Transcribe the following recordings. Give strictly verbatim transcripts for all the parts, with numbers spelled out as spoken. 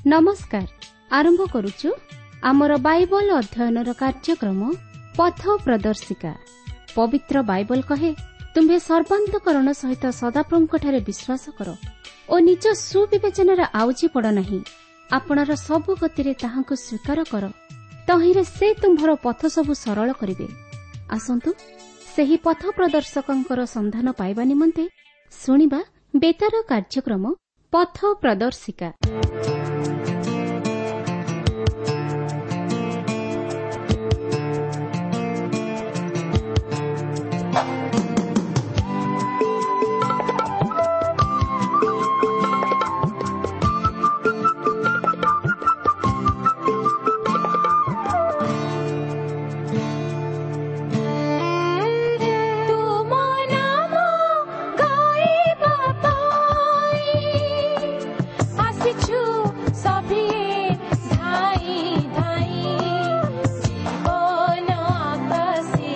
ନମସ୍କାର। ଆରମ୍ଭ କରୁଛୁ ଆମର ବାଇବଲ ଅଧ୍ୟୟନର କାର୍ଯ୍ୟକ୍ରମ ପଥ ପ୍ରଦର୍ଶିକା। ପବିତ୍ର ବାଇବଲ କହେ, ତୁମ୍ଭେ ସର୍ବାନ୍ତକରଣ ସହିତ ସଦାପ୍ରଭୁଙ୍କଠାରେ ବିଶ୍ୱାସ କର ଓ ନିଜ ସୁବିବେଚନାରେ ଆଉଜି ପଡ଼ ନାହିଁ। ଆପଣାର ସବୁ ଗତିରେ ତାହାଙ୍କୁ ସ୍ୱୀକାର କର, ତହିଁରେ ସେ ତୁମ୍ଭର ପଥ ସବୁ ସରଳ କରିବେ। ଆସନ୍ତୁ ସେହି ପଥ ପ୍ରଦର୍ଶକଙ୍କର ସନ୍ଧାନ ପାଇବା ନିମନ୍ତେ ଶୁଣିବା ବେତାର କାର୍ଯ୍ୟକ୍ରମ ପଥ ପ୍ରଦର୍ଶିକା। ତୁମ ନାମ ଗାଇବା ପାଇଁ ଆସିଛୁ ସଭିଏ ଧାଇଁ ଧାଇଁ, ଜୀବନ ଆକାଶେ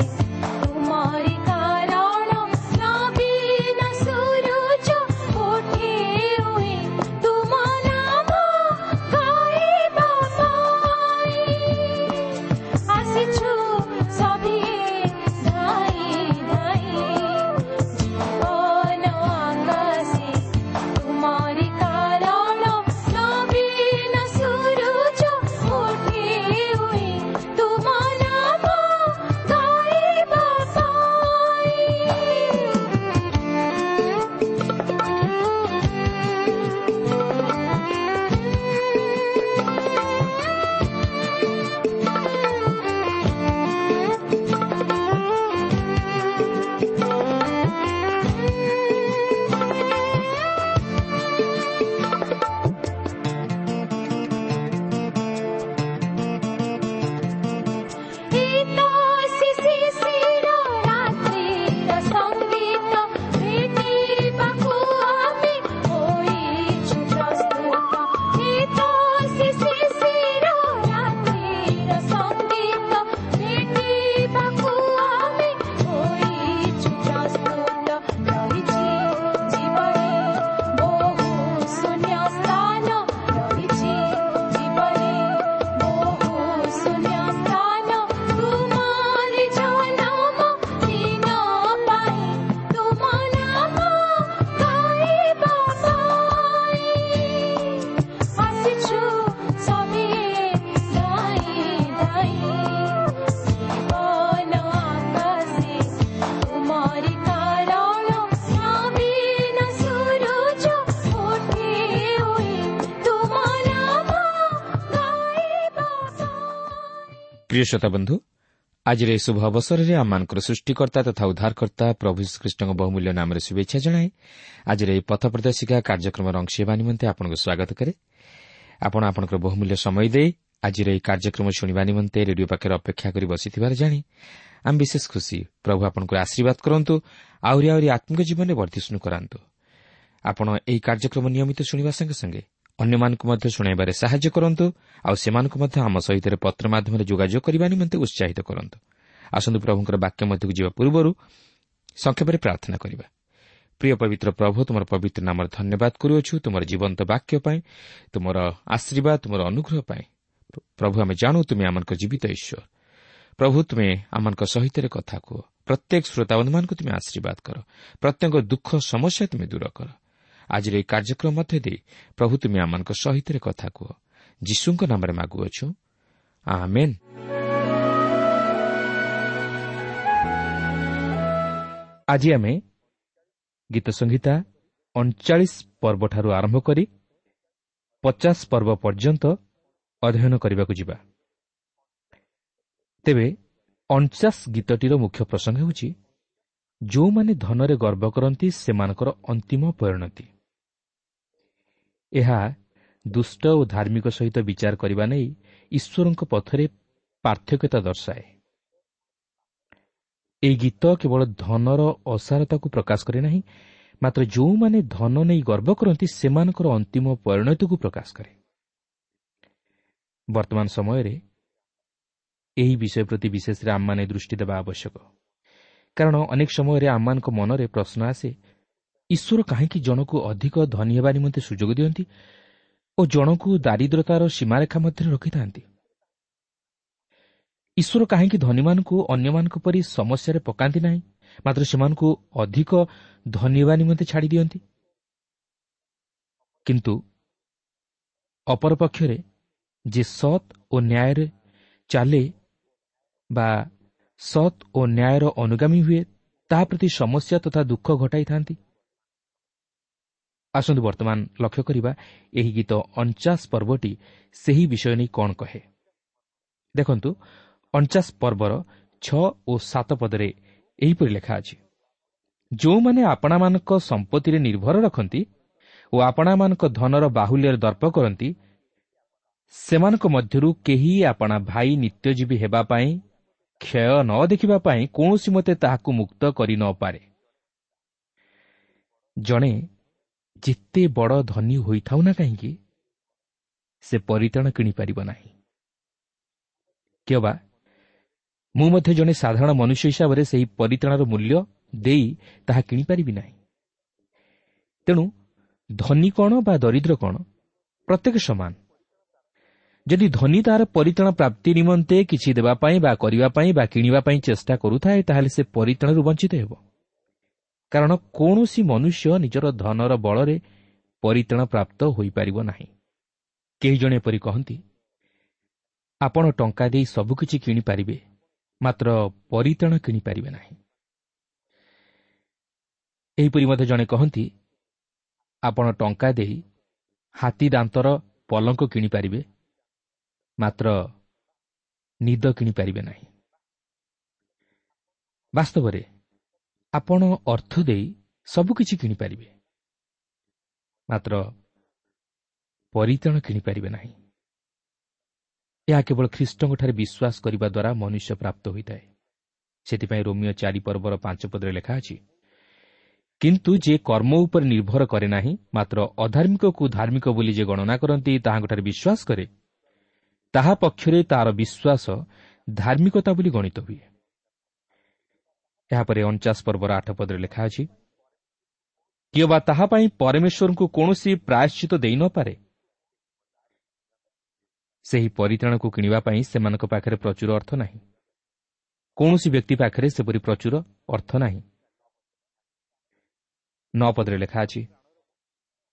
ତୁମରି କାରଣ ନବୀନ ସୂରୁଜ ଉଠେ ଉଇଁ। ତୁମ ନାମ ଗାଇବା ପାଇଁ ଆସିଛୁ ସଭିଏ ଧାଇଁ ଧାଇଁ, ଜୀବନ ଆକାଶେ ତୁମରି କାରଣ ନବୀନ ସୂରୁଜ ଉଠେ ଉଇଁ। ତୁମ ନାମ ଗାଇବା ପାଇଁ। ଶିଶିର ରାତ୍ରିର ସଙ୍ଗୀତ ଭେଟିବାକୁ ଆମେ ହୋଇଛୁ ପ୍ରସ୍ତୁତ। ଶିଶିର ରାତ୍ରିର ସଙ୍ଗୀତ ଭେଟିବାକୁ ଆମେ ହୋଇଛୁ ପ୍ରସ୍ତୁତ। ରହିଛି ଜୀବନେ ବହୁ ଶୂନ୍ୟ ସ୍ଥାନ, ରହିଛି ଜୀବନେ ବହୁ ଶୂନ୍ୟ ସ୍ଥାନ, ତୁମରି ଜନମ ଦିନ ପାଇଁ ତୁମ ନାମ ଗାଇବା ପାଇଁ ଆସିଛୁ ସଭିଏ ଧାଇଁ ଧାଇଁ, ଜୀବନ ଆକାଶେ ତୁମରି କାରଣ ନବୀନ ସୂରୁଜ ଉଠେ ଉଇଁ। ତୁମ ନାମ ଗାଇବା ପାଇଁ। ପ୍ରିୟ ଶ୍ରୋତା ବନ୍ଧୁ, ଆଜିର ଏହି ଶୁଭ ଅବସରରେ ଆମମାନଙ୍କର ସୃଷ୍ଟିକର୍ତ୍ତା ତଥା ଉଦ୍ଧାରକର୍ତ୍ତା ପ୍ରଭୁ ଯୀଶୁଖ୍ରୀଷ୍ଟଙ୍କ ବହୁମୂଲ୍ୟ ନାମରେ ଶୁଭେଚ୍ଛା ଜଣାଇ ଆଜିର ଏହି ପଥ ପ୍ରଦର୍ଶିକା କାର୍ଯ୍ୟକ୍ରମର ଅଂଶ ହେବା ନିମନ୍ତେ ଆପଣଙ୍କୁ ସ୍ୱାଗତ କରେ। ଆପଣ ଆପଣଙ୍କର ବହୁମୂଲ୍ୟ ସମୟ ଦେଇ ଆଜିର ଏହି କାର୍ଯ୍ୟକ୍ରମ ଶୁଣିବା ନିମନ୍ତେ ରେଡିଓ ପାଖରେ ଅପେକ୍ଷା କରି ବସିଥିବାର ଜାଣି ଆମେ ବିଶେଷ ଖୁସି। ପ୍ରଭୁ ଆପଣଙ୍କୁ ଆଶୀର୍ବାଦ କରନ୍ତୁ, ଆହୁରି ଆହୁରି ଆତ୍ମିକ ଜୀବନରେ ବର୍ଦ୍ଧିଷ୍ଣୁ କରାନ୍ତୁ। ଆପଣ ଏହି କାର୍ଯ୍ୟକ୍ରମ ନିୟମିତ ଶୁଣିବା ସଙ୍ଗେ ସଙ୍ଗେ ଅନ୍ୟମାନଙ୍କୁ ମଧ୍ୟ ଶୁଣାଇବାରେ ସାହାଯ୍ୟ କରନ୍ତୁ, ଆଉ ସେମାନଙ୍କୁ ମଧ୍ୟ ଆମ ସହିତ ପତ୍ର ମାଧ୍ୟମରେ ଯୋଗାଯୋଗ କରିବା ନିମନ୍ତେ ଉତ୍ସାହିତ କରନ୍ତୁ। ଆସନ୍ତୁ ପ୍ରଭୁଙ୍କର ବାକ୍ୟ ମଧ୍ୟକୁ ଯିବା ପୂର୍ବରୁ ସଂକ୍ଷେପରେ ପ୍ରାର୍ଥନା କରିବା। ପ୍ରିୟ ପବିତ୍ର ପ୍ରଭୁ, ତୁମର ପବିତ୍ର ନାମରେ ଧନ୍ୟବାଦ କରୁଅଛୁ ତୁମର ଜୀବନ୍ତ ବାକ୍ୟ ପାଇଁ, ତୁମର ଆଶୀର୍ବାଦ, ତୁମର ଅନୁଗ୍ରହ ପାଇଁ। ପ୍ରଭୁ, ଆମେ ଜାଣୁ ତୁମେ ଆମମାନଙ୍କ ଜୀବିତ ଈଶ୍ୱର। ପ୍ରଭୁ, ତୁମେ ଆମମାନଙ୍କ ସହିତ କଥା କୁହ। ପ୍ରତ୍ୟେକ ଶ୍ରୋତାବନ୍ଧୁମାନଙ୍କୁ ତୁମେ ଆଶୀର୍ବାଦ କର, ପ୍ରତ୍ୟେକ ଦୁଃଖ ସମସ୍ୟା ତୁମେ ଦୂର କର। ଆଜିର ଏହି କାର୍ଯ୍ୟକ୍ରମ ମଧ୍ୟ ଦେଇ ପ୍ରଭୁ ତୁମେ ଆମମାନଙ୍କ ସହିତ କଥା କୁହ। ଯୀଶୁଙ୍କ ନାମରେ ମାଗୁଅଛୁ, ଆମେନ୍। ଆଜି ଆମେ ଗୀତ ସଂହିତା ଅଣଚାଳିଶ ପର୍ବଠାରୁ ଆରମ୍ଭ କରି ପଚାଶ ପର୍ବ ପର୍ଯ୍ୟନ୍ତ ଅଧ୍ୟୟନ କରିବାକୁ ଯିବା। ତେବେ ଅଣଚାଶ ଗୀତଟିର ମୁଖ୍ୟ ପ୍ରସଙ୍ଗ ହେଉଛି ଯେଉଁମାନେ ଧନରେ ଗର୍ବ କରନ୍ତି ସେମାନଙ୍କର ଅନ୍ତିମ ପରିଣତି। ଏହା ଦୁଷ୍ଟ ଓ ଧାର୍ମିକ ସହିତ ବିଚାର କରିବା ନେଇ ଈଶ୍ୱରଙ୍କ ପଥରେ ପାର୍ଥକ୍ୟତା ଦର୍ଶାଏ। ଏହି ଗୀତ କେବଳ ଧନର ଅସାରତାକୁ ପ୍ରକାଶ କରେ ନାହିଁ, ମାତ୍ର ଯେଉଁମାନେ ଧନ ନେଇ ଗର୍ବ କରନ୍ତି ସେମାନଙ୍କର ଅନ୍ତିମ ପରିଣତିକୁ ପ୍ରକାଶ କରେ। ବର୍ତ୍ତମାନ ସମୟରେ ଏହି ବିଷୟ ପ୍ରତି ବିଶେଷରେ ଆମମାନେ ଦୃଷ୍ଟି ଦେବା ଆବଶ୍ୟକ, କାରଣ ଅନେକ ସମୟରେ ଆମମାନଙ୍କ ମନରେ ପ୍ରଶ୍ନ ଆସେ, ଈଶ୍ୱର କାହିଁକି ଜଣକୁ ଅଧିକ ଧନୀ ହେବା ନିମନ୍ତେ ସୁଯୋଗ ଦିଅନ୍ତି ଓ ଜଣକୁ ଦାରିଦ୍ରତାର ସୀମାରେଖା ମଧ୍ୟରେ ରଖିଥାନ୍ତି। ଈଶ୍ୱର କାହିଁକି ଧନୀମାନଙ୍କୁ ଅନ୍ୟମାନଙ୍କ ପରି ସମସ୍ୟାରେ ପକାନ୍ତି ନାହିଁ, ମାତ୍ର ସେମାନଙ୍କୁ ଅଧିକ ଧନୀ ହେବା ନିମନ୍ତେ ଛାଡ଼ି ଦିଅନ୍ତି? କିନ୍ତୁ ଅପରପକ୍ଷରେ ଯେ ସତ୍ ଓ ନ୍ୟାୟରେ ଚାଲେ ବା ସତ୍ ଓ ନ୍ୟାୟର ଅନୁଗାମୀ ହୁଏ, ତାହା ପ୍ରତି ସମସ୍ୟା ତଥା ଦୁଃଖ ଘଟାଇଥାନ୍ତି। ଆସନ୍ତୁ ବର୍ତ୍ତମାନ ଲକ୍ଷ୍ୟ କରିବା ଏହି ଗୀତ ଅଣଚାଶ ପର୍ବଟି ସେହି ବିଷୟ ନେଇ କ'ଣ କହେ। ଦେଖନ୍ତୁ, ଅଣଚାଶ ପର୍ବର ଛଅ ଓ ସାତ ପଦରେ ଏହିପରି ଲେଖା ଅଛି, ଯେଉଁମାନେ ଆପଣାମାନଙ୍କ ସମ୍ପତ୍ତିରେ ନିର୍ଭର ରଖନ୍ତି ଓ ଆପଣାମାନଙ୍କ ଧନର ବାହୁଲ୍ୟରେ ଦର୍ପ କରନ୍ତି, ସେମାନଙ୍କ ମଧ୍ୟରୁ କେହି ଆପଣା ଭାଇ ନିତ୍ୟଜୀବୀ ହେବା ପାଇଁ, କ୍ଷୟ ନ ଦେଖିବା ପାଇଁ କୌଣସି ମତେ ତାହାକୁ ମୁକ୍ତ କରି ନପାରେ। ଜଣେ ଯେତେ ବଡ଼ ଧନୀ ହୋଇଥାଉ ନା କାହିଁକି, ସେ ପରିତ୍ରାଣ କିଣିପାରିବ ନାହିଁ। କିଅବା ମୁଁ ମଧ୍ୟ ଜଣେ ସାଧାରଣ ମନୁଷ୍ୟ ହିସାବରେ ସେହି ପରିତ୍ରାଣର ମୂଲ୍ୟ ଦେଇ ତାହା କିଣିପାରିବି ନାହିଁ। ତେଣୁ ଧନୀ କ'ଣ ବା ଦରିଦ୍ର କ'ଣ, ପ୍ରତ୍ୟେକ ସମାନ। ଯଦି ଧନୀ ତାହାର ପରିତ୍ରାଣ ପ୍ରାପ୍ତି ନିମନ୍ତେ କିଛି ଦେବା ପାଇଁ ବା କରିବା ପାଇଁ ବା କିଣିବା ପାଇଁ ଚେଷ୍ଟା କରୁଥାଏ, ତାହେଲେ ସେ ପରିତ୍ରାଣରୁ ବଞ୍ଚିତ ହେବ। କାରଣ କୌଣସି ମନୁଷ୍ୟ ନିଜର ଧନର ବଳରେ ପରିତ୍ରାଣ ପ୍ରାପ୍ତ ହୋଇପାରିବ ନାହିଁ। କେହି ଜଣେ ଏପରି କହନ୍ତି, ଆପଣ ଟଙ୍କା ଦେଇ ସବୁକିଛି କିଣିପାରିବେ, ମାତ୍ର ପରିତ୍ରାଣ କିଣିପାରିବେ ନାହିଁ। ଏହିପରି ମଧ୍ୟ ଜଣେ କହନ୍ତି, ଆପଣ ଟଙ୍କା ଦେଇ ହାତୀ ଦାନ୍ତର ପଲଙ୍କ କିଣିପାରିବେ, ମାତ୍ର ନିଦ କିଣିପାରିବେ ନାହିଁ। ବାସ୍ତବରେ ଆପଣ ଅର୍ଥ ଦେଇ ସବୁକିଛି କିଣିପାରିବେ, ମାତ୍ର ପରିତ୍ରାଣ କିଣିପାରିବେ ନାହିଁ। ଏହା କେବଳ ଖ୍ରୀଷ୍ଟଙ୍କଠାରେ ବିଶ୍ୱାସ କରିବା ଦ୍ୱାରା ମନୁଷ୍ୟ ପ୍ରାପ୍ତ ହୋଇଥାଏ। ସେଥିପାଇଁ ରୋମିଓ ଚାରି ପର୍ବର ପାଞ୍ଚ ପଦରେ ଲେଖା ଅଛି, କିନ୍ତୁ ଯେ କର୍ମ ଉପରେ ନିର୍ଭର କରେ ନାହିଁ, ମାତ୍ର ଅଧାର୍ମିକକୁ ଧାର୍ମିକ ବୋଲି ଯେ ଗଣନା କରନ୍ତି ତାହାଙ୍କଠାରେ ବିଶ୍ୱାସ କରେ, ତାହା ପକ୍ଷରେ ତାର ବିଶ୍ୱାସ ଧାର୍ମିକତା ବୋଲି ଗଣିତ ହୁଏ। ଏହାପରେ ଅଣଚାଶ ପର୍ବର ଆଠ ପଦରେ ଲେଖା ଅଛି, କିଅବା ତାହା ପାଇଁ ପରମେଶ୍ୱରଙ୍କୁ କୌଣସି ପ୍ରାୟଶ୍ଚିତ ଦେଇନପାରେ। ସେହି ପରିତ୍ରାଣକୁ କିଣିବା ପାଇଁ ସେମାନଙ୍କ ପାଖରେ ପ୍ରଚୁର ଅର୍ଥ ନାହିଁ। କୌଣସି ବ୍ୟକ୍ତି ପାଖରେ ସେପରି ପ୍ରଚୁର ଅର୍ଥ ନାହିଁ। ନଅ ପଦରେ ଲେଖା ଅଛି,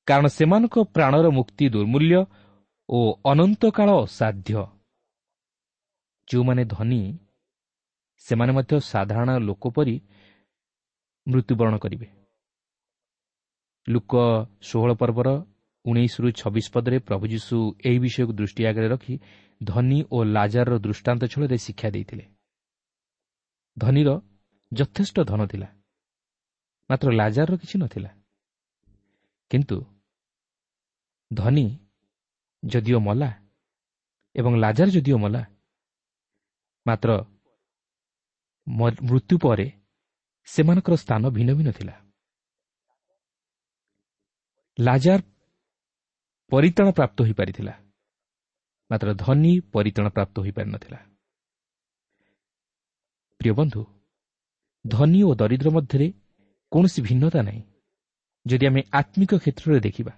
କାରଣ ସେମାନଙ୍କ ପ୍ରାଣର ମୁକ୍ତି ଦୁର୍ମୂଲ୍ୟ ଓ ଅନନ୍ତକାଳ ଅସାଧ୍ୟ। ଯେଉଁମାନେ ଧନୀ ସେମାନେ ମଧ୍ୟ ସାଧାରଣ ଲୋକ ପରି ମୃତ୍ୟୁବରଣ କରିବେ। ଲୁକ ଷୋହଳ ପର୍ବର ଉଣେଇଶରୁ ଛବିଶ ପଦରେ ପ୍ରଭୁ ଯୀଶୁ ଏହି ବିଷୟକୁ ଦୃଷ୍ଟି ଆଗରେ ରଖି ଧନୀ ଓ ଲାଜାରର ଦୃଷ୍ଟାନ୍ତ ଛଳରେ ଶିକ୍ଷା ଦେଇଥିଲେ। ଧନୀର ଯଥେଷ୍ଟ ଧନ ଥିଲା, ମାତ୍ର ଲାଜାରର କିଛି ନଥିଲା। କିନ୍ତୁ ଧନୀ ଯଦିଓ ମଲା ଏବଂ ଲାଜାର ଯଦିଓ ମଲା, ମାତ୍ର ମୃତ୍ୟୁ ପରେ ସେମାନଙ୍କର ସ୍ଥାନ ଭିନ୍ନ ଭିନ୍ନ ଥିଲା। ଲାଜାର ପରିତ୍ରାଣ ପ୍ରାପ୍ତ ହୋଇପାରିଥିଲା, ମାତ୍ର ଧନୀ ପରିତ୍ରାଣ ପ୍ରାପ୍ତ ହୋଇପାରିନଥିଲା। ପ୍ରିୟ ବନ୍ଧୁ, ଧନୀ ଓ ଦରିଦ୍ର ମଧ୍ୟରେ କୌଣସି ଭିନ୍ନତା ନାହିଁ ଯଦି ଆମେ ଆତ୍ମିକ କ୍ଷେତ୍ରରେ ଦେଖିବା।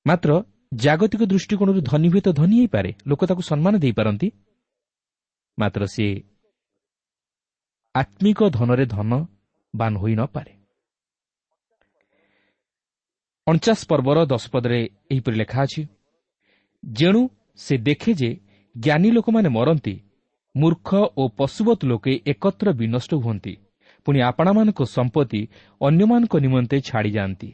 ମାତ୍ର ଜାଗତିକ ଦୃଷ୍ଟିକୋଣରୁ ଧନୀ ହୁଏତ ଧନୀ ହୋଇପାରେ, ଲୋକ ତାକୁ ସମ୍ମାନ ଦେଇପାରନ୍ତି, ମାତ୍ର ସେ ଆତ୍ମିକ ଧନରେ ଧନବାନ ହୋଇନପାରେ। ଅଣଚାଶ ପର୍ବର ଦଶ ପଦରେ ଏହିପରି ଲେଖା ଅଛି, ଯେଣୁ ସେ ଦେଖେ ଯେ ଜ୍ଞାନୀ ଲୋକମାନେ ମରନ୍ତି, ମୂର୍ଖ ଓ ପଶୁବତ୍ ଲୋକେ ଏକତ୍ର ବିନଷ୍ଟ ହୁଅନ୍ତି, ପୁଣି ଆପଣାମାନଙ୍କ ସମ୍ପତ୍ତି ଅନ୍ୟମାନଙ୍କ ନିମନ୍ତେ ଛାଡ଼ିଯାଆନ୍ତି।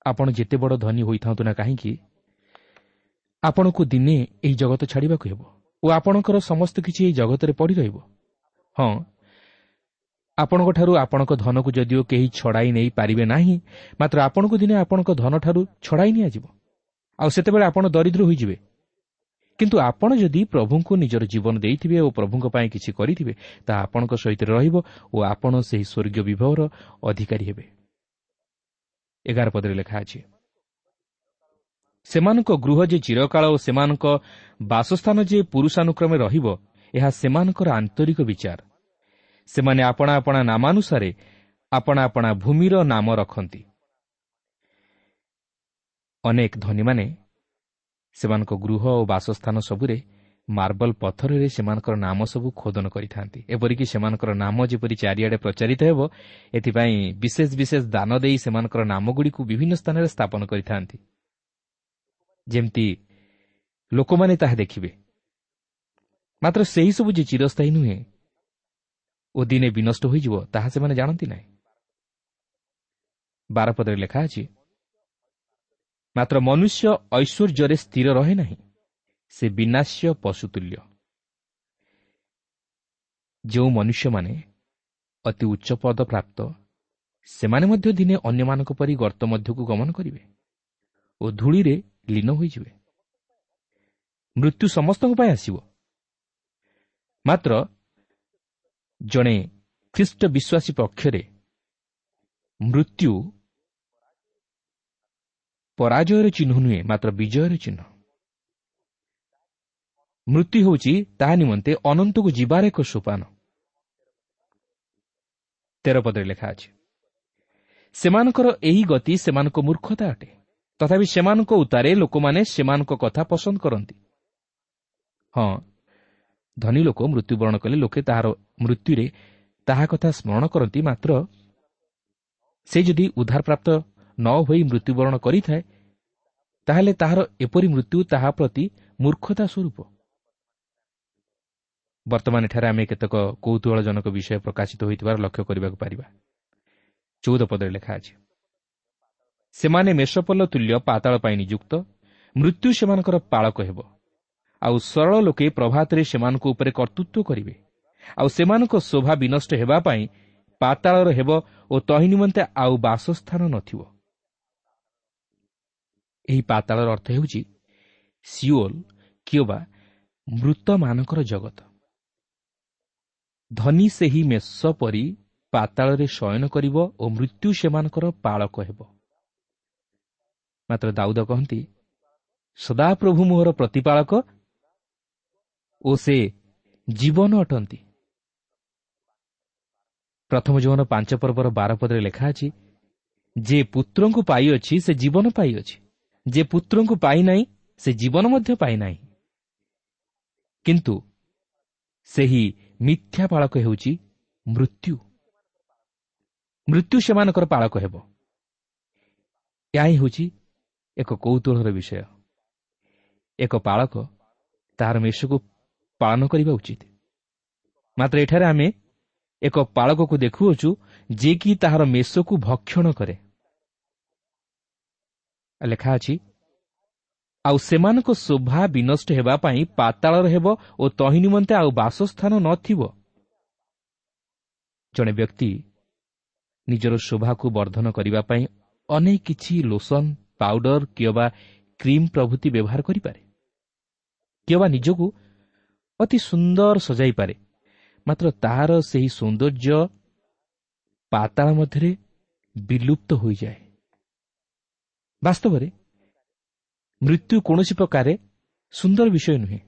ଆପଣ ଯେତେ ବଡ଼ ଧନୀ ହୋଇଥାନ୍ତୁ ନା କାହିଁକି, ଆପଣଙ୍କୁ ଦିନେ ଏହି ଜଗତ ଛାଡ଼ିବାକୁ ହେବ ଓ ଆପଣଙ୍କର ସମସ୍ତ କିଛି ଏହି ଜଗତରେ ପଡ଼ି ରହିବ। ହଁ, ଆପଣଙ୍କଠାରୁ ଆପଣଙ୍କ ଧନକୁ ଯଦିଓ କେହି ଛଡ଼ାଇ ନେଇପାରିବେ ନାହିଁ, ମାତ୍ର ଆପଣଙ୍କୁ ଦିନେ ଆପଣଙ୍କ ଧନଠାରୁ ଛଡ଼ାଇ ନିଆଯିବ, ଆଉ ସେତେବେଳେ ଆପଣ ଦରିଦ୍ର ହୋଇଯିବେ। କିନ୍ତୁ ଆପଣ ଯଦି ପ୍ରଭୁଙ୍କୁ ନିଜର ଜୀବନ ଦେଇଥିବେ ଓ ପ୍ରଭୁଙ୍କ ପାଇଁ କିଛି କରିଥିବେ, ତାହା ଆପଣଙ୍କ ସହିତ ରହିବ ଓ ଆପଣ ସେହି ସ୍ୱର୍ଗୀୟ ବିଭବର ଅଧିକାରୀ ହେବେ। ଏଗାର ପଦରେ ଲେଖା ଅଛି, ସେମାନଙ୍କ ଗୃହ ଯେ ଚିରକାଳ ଓ ସେମାନଙ୍କ ବାସସ୍ଥାନ ଯେ ପୁରୁଷାନୁକ୍ରମେ ରହିବ, ଏହା ସେମାନଙ୍କର ଆନ୍ତରିକ ବିଚାର। ସେମାନେ ଆପଣା ଆପଣା ନାମାନୁସାରେ ଆପଣା ଆପଣା ଭୂମିର ନାମ ରଖନ୍ତି। ଅନେକ ଧନୀମାନେ ସେମାନଙ୍କ ଗୃହ ଓ ବାସସ୍ଥାନ ସବୁରେ ମାର୍ବଲ ପଥରରେ ସେମାନଙ୍କର ନାମ ସବୁ ଖୋଦନ କରିଥାନ୍ତି। ଏପରିକି ସେମାନଙ୍କର ନାମ ଯେପରି ଚାରିଆଡ଼େ ପ୍ରଚାରିତ ହେବ, ଏଥିପାଇଁ ବିଶେଷ ବିଶେଷ ଦାନ ଦେଇ ସେମାନଙ୍କର ନାମଗୁଡ଼ିକୁ ବିଭିନ୍ନ ସ୍ଥାନରେ ସ୍ଥାପନ କରିଥାନ୍ତି, ଯେମିତି ଲୋକମାନେ ତାହା ଦେଖିବେ। ମାତ୍ର ସେହିସବୁ ଯେ ଚିରସ୍ଥାୟୀ ନୁହେଁ ଓ ଦିନେ ବିନଷ୍ଟ ହୋଇଯିବ, ତାହା ସେମାନେ ଜାଣନ୍ତି ନାହିଁ। ବାରପଦରେ ଲେଖା ଅଛି, ମାତ୍ର ମନୁଷ୍ୟ ଐଶ୍ୱର୍ଯ୍ୟରେ ସ୍ଥିର ରହେ ନାହିଁ, ସେ ବିନାଶ୍ୟ ପଶୁତୁଲ୍ୟ। ଯେଉଁ ମନୁଷ୍ୟମାନେ ଅତି ଉଚ୍ଚ ପଦ ପ୍ରାପ୍ତ, ସେମାନେ ମଧ୍ୟ ଦିନେ ଅନ୍ୟମାନଙ୍କ ପରି ଗର୍ତ୍ତ ମଧ୍ୟକୁ ଗମନ କରିବେ ଓ ଧୂଳିରେ ଲୀନ ହୋଇଯିବେ। ମୃତ୍ୟୁ ସମସ୍ତଙ୍କ ପାଇଁ ଆସିବ, ମାତ୍ର ଜଣେ ଖ୍ରୀଷ୍ଟ ବିଶ୍ୱାସୀ ପକ୍ଷରେ ମୃତ୍ୟୁ ପରାଜୟର ଚିହ୍ନ ନୁହେଁ, ମାତ୍ର ବିଜୟର ଚିହ୍ନ। ମୃତ୍ୟୁ ହେଉଛି ତାହା ନିମନ୍ତେ ଅନନ୍ତକୁ ଯିବାର ଏକ ସୋପାନ। ତେର ପଦରେ ଲେଖା ଅଛି, ସେମାନଙ୍କର ଏହି ଗତି ସେମାନଙ୍କ ମୂର୍ଖତା ଅଟେ, ତଥାପି ସେମାନଙ୍କ ଉତ୍ତାରେ ଲୋକମାନେ ସେମାନଙ୍କ କଥା ପସନ୍ଦ କରନ୍ତି। ହଁ, ଧନୀ ଲୋକ ମୃତ୍ୟୁବରଣ କଲେ ଲୋକେ ତାହାର ମୃତ୍ୟୁରେ ତାହା କଥା ସ୍ମରଣ କରନ୍ତି, ମାତ୍ର ସେ ଯଦି ଉଦ୍ଧାରପ୍ରାପ୍ତ ନ ହୋଇ ମୃତ୍ୟୁବରଣ କରିଥାଏ, ତାହେଲେ ତାହାର ଏପରି ମୃତ୍ୟୁ ତାହା ପ୍ରତି ମୂର୍ଖତା ସ୍ୱରୂପ। ବର୍ତ୍ତମାନ ଏଠାରେ ଆମେ କେତେକ କୌତୂହଳଜନକ ବିଷୟ ପ୍ରକାଶିତ ହୋଇଥିବାର ଲକ୍ଷ୍ୟ କରିବାକୁ ପାରିବା। ଚଉଦ ପଦରେ ଲେଖା ଅଛି, ସେମାନେ ମେଷପଲ ତୁଲ୍ୟ ପାତାଳ ପାଇଁ ନିଯୁକ୍ତ, ମୃତ୍ୟୁ ସେମାନଙ୍କର ପାଳକ ହେବ, ଆଉ ସରଳ ଲୋକେ ପ୍ରଭାତରେ ସେମାନଙ୍କ ଉପରେ କର୍ତ୍ତୃତ୍ୱ କରିବେ, ଆଉ ସେମାନଙ୍କ ଶୋଭା ବିନଷ୍ଟ ହେବା ପାଇଁ ପାତାଳର ହେବ ଓ ତହିଁ ନିମନ୍ତେ ଆଉ ବାସସ୍ଥାନ ନଥିବ। ଏହି ପାତାଳର ଅର୍ଥ ହେଉଛି ସିଓଲ କିମ୍ବା ମୃତମାନଙ୍କର ଜଗତ। ଧନୀ ସେହି ମେଷ ପରି ପାତାଳରେ ଶୟନ କରିବ ଓ ମୃତ୍ୟୁ ସେମାନଙ୍କର ପାଳକ ହେବ। ମାତ୍ର ଦାଉଦ କହନ୍ତି, ସଦାପ୍ରଭୁ ମୋହର ପ୍ରତିପାଳକ ଓ ସେ ଜୀବନ ଅଟନ୍ତି। ପ୍ରଥମ ଜୀବନ ପାଞ୍ଚ ପର୍ବର ବାର ପଦରେ ଲେଖା ଅଛି, ଯେ ପୁତ୍ରଙ୍କୁ ପାଇଅଛି ସେ ଜୀବନ ପାଇଅଛି, ଯେ ପୁତ୍ରଙ୍କୁ ପାଇନାହିଁ ସେ ଜୀବନ ମଧ୍ୟ ପାଇନାହିଁ। କିନ୍ତୁ ସେହି ମିଥ୍ୟା ପାଳକ ହେଉଛି ମୃତ୍ୟୁ। ମୃତ୍ୟୁ ସେମାନଙ୍କର ପାଳକ ହେବ। ଏହା ହିଁ ହେଉଛି ଏକ କୌତୂହଳର ବିଷୟ। ଏକ ପାଳକ ତାହାର ମେଷକୁ ପାଳନ କରିବା ଉଚିତ, ମାତ୍ର ଏଠାରେ ଆମେ ଏକ ପାଳକକୁ ଦେଖୁଅଛୁ ଯିଏକି ତାହାର ମେଷକୁ ଭକ୍ଷଣ କରେ। ଲେଖା ଅଛି, ଆଉ ସେମାନଙ୍କ ଶୋଭା ବିନଷ୍ଟ ହେବା ପାଇଁ ପାତାଳର ହେବ ଓ ତହିଁ ନିମନ୍ତେ ଆଉ ବାସସ୍ଥାନ ନଥିବ। ଜଣେ ବ୍ୟକ୍ତି ନିଜର ଶୋଭାକୁ ବର୍ଦ୍ଧନ କରିବା ପାଇଁ ଅନେକ କିଛି ଲୋସନ, ପାଉଡର କିମ୍ବା କ୍ରିମ୍ ପ୍ରଭୃତି ବ୍ୟବହାର କରିପାରେ, କିମ୍ବା ନିଜକୁ ଅତି ସୁନ୍ଦର ସଜାଇପାରେ, ମାତ୍ର ତାହାର ସେହି ସୌନ୍ଦର୍ଯ୍ୟ ପାତାଳ ମଧ୍ୟରେ ବିଲୁପ୍ତ ହୋଇଯାଏ। ବାସ୍ତବରେ ମୃତ୍ୟୁ କୌଣସି ପ୍ରକାରେ ସୁନ୍ଦର ବିଷୟ ନୁହେଁ।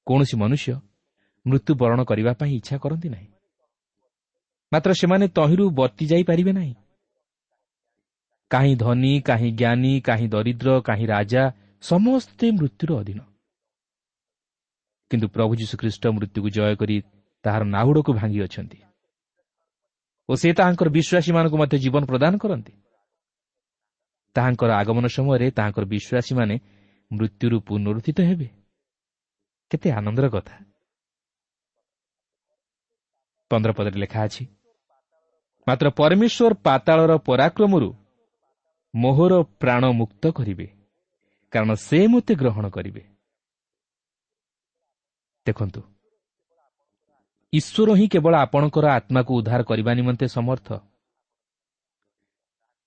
କୌଣସି ମନୁଷ୍ୟ ମୃତ୍ୟୁବରଣ କରିବା ପାଇଁ ଇଚ୍ଛା କରନ୍ତି ନାହିଁ, ମାତ୍ର ସେମାନେ ତହିଁରୁ ବର୍ତ୍ତି ଯାଇପାରିବେ ନାହିଁ। କାହିଁ ଧନୀ, କାହିଁ ଜ୍ଞାନୀ, କାହିଁ ଦରିଦ୍ର, କାହିଁ ରାଜା, ସମସ୍ତେ ମୃତ୍ୟୁର ଅଧୀନ। କିନ୍ତୁ ପ୍ରଭୁ ଯୀଶୁଖ୍ରୀଷ୍ଟ ମୃତ୍ୟୁକୁ ଜୟ କରି ତାହାର ନାହୁଡ଼କୁ ଭାଙ୍ଗି ଅଛନ୍ତି ଓ ସେ ତାହାଙ୍କର ବିଶ୍ୱାସୀମାନଙ୍କୁ ମଧ୍ୟ ଜୀବନ ପ୍ରଦାନ କରନ୍ତି। ତାହାଙ୍କର ଆଗମନ ସମୟରେ ତାହାଙ୍କର ବିଶ୍ୱାସୀମାନେ ମୃତ୍ୟୁରୁ ପୁନରୁତ୍ଥିତ ହେବେ। କେତେ ଆନନ୍ଦର କଥା। ପନ୍ଦର ପଦରେ ଲେଖା ଅଛି, ମାତ୍ର ପରମେଶ୍ୱର ପାତାଳର ପରାକ୍ରମରୁ ମୋହର ପ୍ରାଣ ମୁକ୍ତ କରିବେ, କାରଣ ସେ ମୋତେ ଗ୍ରହଣ କରିବେ। ଦେଖନ୍ତୁ, ଈଶ୍ୱର ହିଁ କେବଳ ଆପଣଙ୍କର ଆତ୍ମାକୁ ଉଦ୍ଧାର କରିବା ନିମନ୍ତେ ସମର୍ଥ।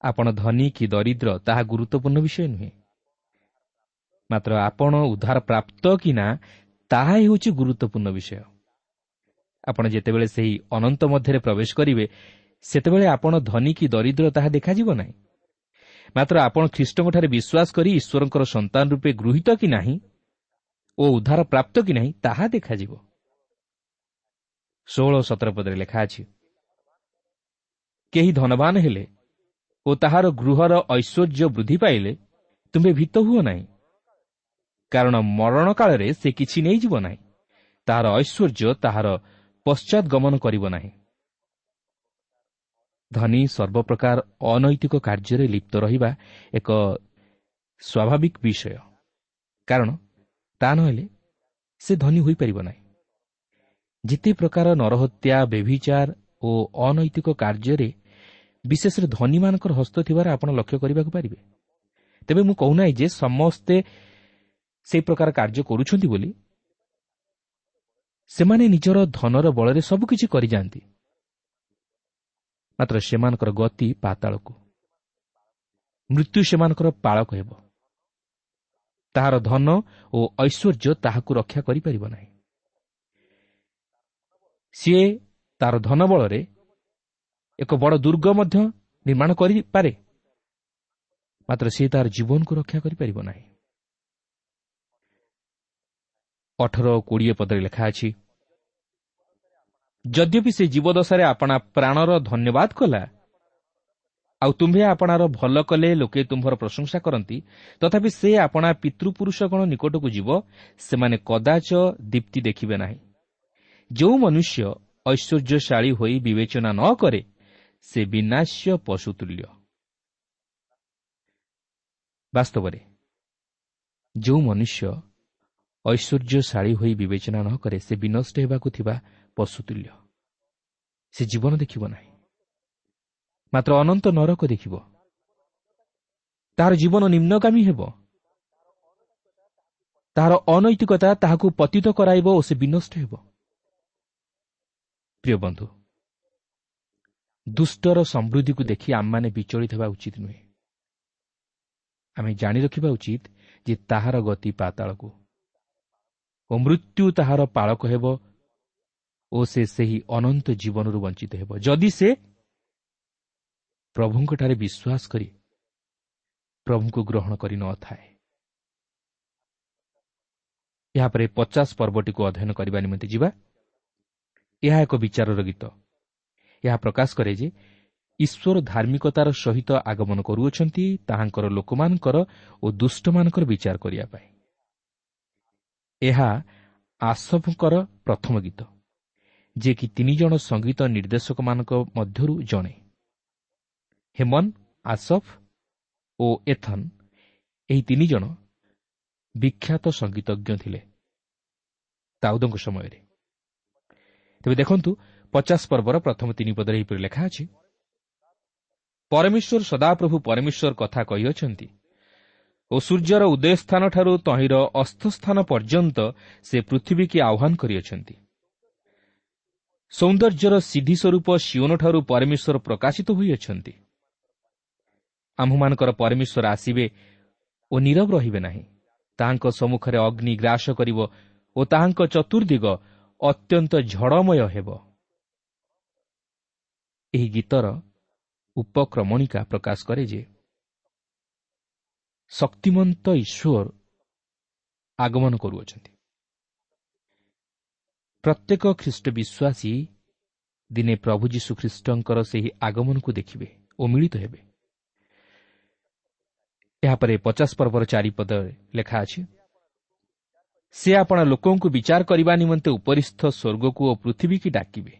ଆପଣ ଧନୀ କି ଦରିଦ୍ର ତାହା ଗୁରୁତ୍ୱପୂର୍ଣ୍ଣ ବିଷୟ ନୁହେଁ, ମାତ୍ର ଆପଣ ଉଦ୍ଧାର ପ୍ରାପ୍ତ କି ନା ତାହା ହେଉଛି ଗୁରୁତ୍ୱପୂର୍ଣ୍ଣ ବିଷୟ। ଆପଣ ଯେତେବେଳେ ସେହି ଅନନ୍ତ ମଧ୍ୟରେ ପ୍ରବେଶ କରିବେ, ସେତେବେଳେ ଆପଣ ଧନୀ କି ଦରିଦ୍ର ତାହା ଦେଖାଯିବ ନାହିଁ, ମାତ୍ର ଆପଣ ଖ୍ରୀଷ୍ଟଙ୍କଠାରେ ବିଶ୍ୱାସ କରି ଈଶ୍ୱରଙ୍କର ସନ୍ତାନ ରୂପେ ଗୃହୀତ କି ନାହିଁ ଓ ଉଦ୍ଧାର ପ୍ରାପ୍ତ କି ନାହିଁ ତାହା ଦେଖାଯିବ। ଷୋହଳ ସତର ପଦରେ ଲେଖା ଅଛି, କେହି ଧନବାନ ହେଲେ ଓ ତାହାର ଗୃହର ଐଶ୍ୱର୍ଯ୍ୟ ବୃଦ୍ଧି ପାଇଲେ ତୁମ୍ଭେ ଭୀତ ହୁଅ ନାହିଁ, କାରଣ ମରଣ କାଳରେ ସେ କିଛି ନେଇଯିବ ନାହିଁ, ତାହାର ଐଶ୍ୱର୍ଯ୍ୟ ତାହାର ପଶ୍ଚାଦଗମନ କରିବ ନାହିଁ। ଧନୀ ସର୍ବପ୍ରକାର ଅନୈତିକ କାର୍ଯ୍ୟରେ ଲିପ୍ତ ରହିବା ଏକ ସ୍ୱାଭାବିକ ବିଷୟ, କାରଣ ତା ନହେଲେ ସେ ଧନୀ ହୋଇପାରିବ ନାହିଁ। ଯେତେ ପ୍ରକାର ନରହତ୍ୟା, ବ୍ୟଭିଚାର ଓ ଅନୈତିକ କାର୍ଯ୍ୟରେ ବିଶେଷରେ ଧନୀମାନଙ୍କର ହସ୍ତ ଥିବାର ଆପଣ ଲକ୍ଷ୍ୟ କରିବାକୁ ପାରିବେ। ତେବେ ମୁଁ କହୁନାହିଁ ଯେ ସମସ୍ତେ ସେହି ପ୍ରକାର କାର୍ଯ୍ୟ କରୁଛନ୍ତି ବୋଲି। ସେମାନେ ନିଜର ଧନର ବଳରେ ସବୁକିଛି କରିଯାଆନ୍ତି, ମାତ୍ର ସେମାନଙ୍କର ଗତି ପାତାଳକୁ, ମୃତ୍ୟୁ ସେମାନଙ୍କର ପାଳକ ହେବ। ତାହାର ଧନ ଓ ଐଶ୍ୱର୍ଯ୍ୟ ତାହାକୁ ରକ୍ଷା କରିପାରିବ ନାହିଁ। ସିଏ ତାର ଧନ ବଳରେ ଏକ ବଡ଼ ଦୁର୍ଗ ମଧ୍ୟ ନିର୍ମାଣ କରିପାରେ, ମାତ୍ର ସିଏ ତାର ଜୀବନକୁ ରକ୍ଷା କରିପାରିବ ନାହିଁ। ଅଠର ଓ କୋଡ଼ିଏ ପଦରେ ଲେଖା ଅଛି, ଯଦ୍ୟପି ସେ ଜୀବଦଶାରେ ଆପଣା ପ୍ରାଣର ଧନ୍ୟବାଦ କଲା, ଆଉ ତୁମ୍ଭେ ଆପଣାର ଭଲ କଲେ ଲୋକେ ତୁମ୍ଭର ପ୍ରଶଂସା କରନ୍ତି, ତଥାପି ସେ ଆପଣା ପିତୃପୁରୁଷଗଣ ନିକଟକୁ ଯିବ, ସେମାନେ କଦାଚ ଦୀପ୍ତି ଦେଖିବେ ନାହିଁ। ଯେଉଁ ମନୁଷ୍ୟ ଐଶ୍ୱର୍ଯ୍ୟଶାଳୀ ହୋଇ ବିବେଚନା ନ କରେ, ସେ ବିନାଶ୍ୟ ପଶୁତୁଲ୍ୟ। ବାସ୍ତବରେ ଯେଉଁ ମନୁଷ୍ୟ ଐଶ୍ୱର୍ଯ୍ୟଶାଳୀ ହୋଇ ବିବେଚନା ନ କରେ, ସେ ବିନଷ୍ଟ ହେବାକୁ ଥିବା ପଶୁତୁଲ୍ୟ। ସେ ଜୀବନ ଦେଖିବ ନାହିଁ, ମାତ୍ର ଅନନ୍ତ ନରକ ଦେଖିବ। ତାହାର ଜୀବନ ନିମ୍ନଗାମୀ ହେବ, ତାହାର ଅନୈତିକତା ତାହାକୁ ପତିତ କରାଇବ ଓ ସେ ବିନଷ୍ଟ ହେବ। ପ୍ରିୟ ବନ୍ଧୁ, ଦୁଷ୍ଟର ସମୃଦ୍ଧିକୁ ଦେଖି ଆମମାନେ ବିଚଳିତ ହେବା ଉଚିତ ନୁହେଁ। ଆମେ ଜାଣି ରଖିବା ଉଚିତ ଯେ ତାହାର ଗତି ପାତାଳକୁ ଓ ମୃତ୍ୟୁ ତାହାର ପାଳକ ହେବ ଓ ସେ ସେହି ଅନନ୍ତ ଜୀବନରୁ ବଞ୍ଚିତ ହେବ, ଯଦି ସେ ପ୍ରଭୁଙ୍କଠାରେ ବିଶ୍ୱାସ କରି ପ୍ରଭୁଙ୍କୁ ଗ୍ରହଣ କରି ନଥାଏ। ଏହାପରେ ପଚାଶ ପର୍ବଟିକୁ ଅଧ୍ୟୟନ କରିବା ନିମନ୍ତେ ଯିବା। ଏହା ଏକ ବିଚାରର ଗୀତ। ଏହା ପ୍ରକାଶ କରେ ଯେ ଈଶ୍ୱର ଧାର୍ମିକତାର ସହିତ ଆଗମନ କରୁଅଛନ୍ତି ତାହାଙ୍କର ଲୋକମାନଙ୍କର ଓ ଦୁଷ୍ଟମାନଙ୍କର ବିଚାର କରିବା ପାଇଁ। ଏହା ଆସଫଙ୍କର ପ୍ରଥମ ଗୀତ, ଯିଏକି ତିନି ଜଣ ସଙ୍ଗୀତ ନିର୍ଦ୍ଦେଶକମାନଙ୍କ ମଧ୍ୟରୁ ଜଣେ। ହେମନ, ଆସଫ ଓ ଏଥନ୍ ଏହି ତିନି ଜଣ ବିଖ୍ୟାତ ସଙ୍ଗୀତଜ୍ଞ ଥିଲେ ଦାଉଦଙ୍କ ସମୟରେ। ତେବେ ଦେଖନ୍ତୁ, ପଚାଶ ପର୍ବର ପ୍ରଥମ ତିନି ପଦରେ ଏହିପରି ଲେଖା ଅଛି, ପରମେଶ୍ୱର ସଦାପ୍ରଭୁ ପରମେଶ୍ୱର କଥା କହିଅଛନ୍ତି ଓ ସୂର୍ଯ୍ୟର ଉଦୟସ୍ଥାନଠାରୁ ତହିଁର ଅସ୍ତସ୍ଥାନ ପର୍ଯ୍ୟନ୍ତ ସେ ପୃଥିବୀକି ଆହ୍ୱାନ କରିଅଛନ୍ତି। ସୌନ୍ଦର୍ଯ୍ୟର ସିଦ୍ଧି ସ୍ୱରୂପ ସିଓନଠାରୁ ପରମେଶ୍ୱର ପ୍ରକାଶିତ ହୋଇଅଛନ୍ତି। ଆମ୍ଭମାନଙ୍କର ପରମେଶ୍ୱର ଆସିବେ ଓ ନୀରବ ରହିବେ ନାହିଁ। ତାହାଙ୍କ ସମ୍ମୁଖରେ ଅଗ୍ନି ଗ୍ରାସ କରିବ ଓ ତାହାଙ୍କ ଚତୁର୍ଦିଗ ଅତ୍ୟନ୍ତ ଝଡ଼ମୟ ହେବ। ଏହି ଗୀତର ଉପକ୍ରମଣିକା ପ୍ରକାଶ କରେ ଯେ ଶକ୍ତିମନ୍ତ ଈଶ୍ୱର ଆଗମନ କରୁଅଛନ୍ତି। ପ୍ରତ୍ୟେକ ଖ୍ରୀଷ୍ଟ ବିଶ୍ୱାସୀ ଦିନେ ପ୍ରଭୁ ଯୀଶୁ ଖ୍ରୀଷ୍ଟଙ୍କର ସେହି ଆଗମନକୁ ଦେଖିବେ ଓ ମିଳିତ ହେବେ। ଏହାପରେ ପଚାଶ ପର୍ବର ଚାରିପଦରେ ଲେଖା ଅଛି, ସେ ଆପଣା ଲୋକଙ୍କୁ ବିଚାର କରିବା ନିମନ୍ତେ ଉପରିସ୍ଥ ସ୍ୱର୍ଗକୁ ଓ ପୃଥିବୀକି ଡାକିବେ।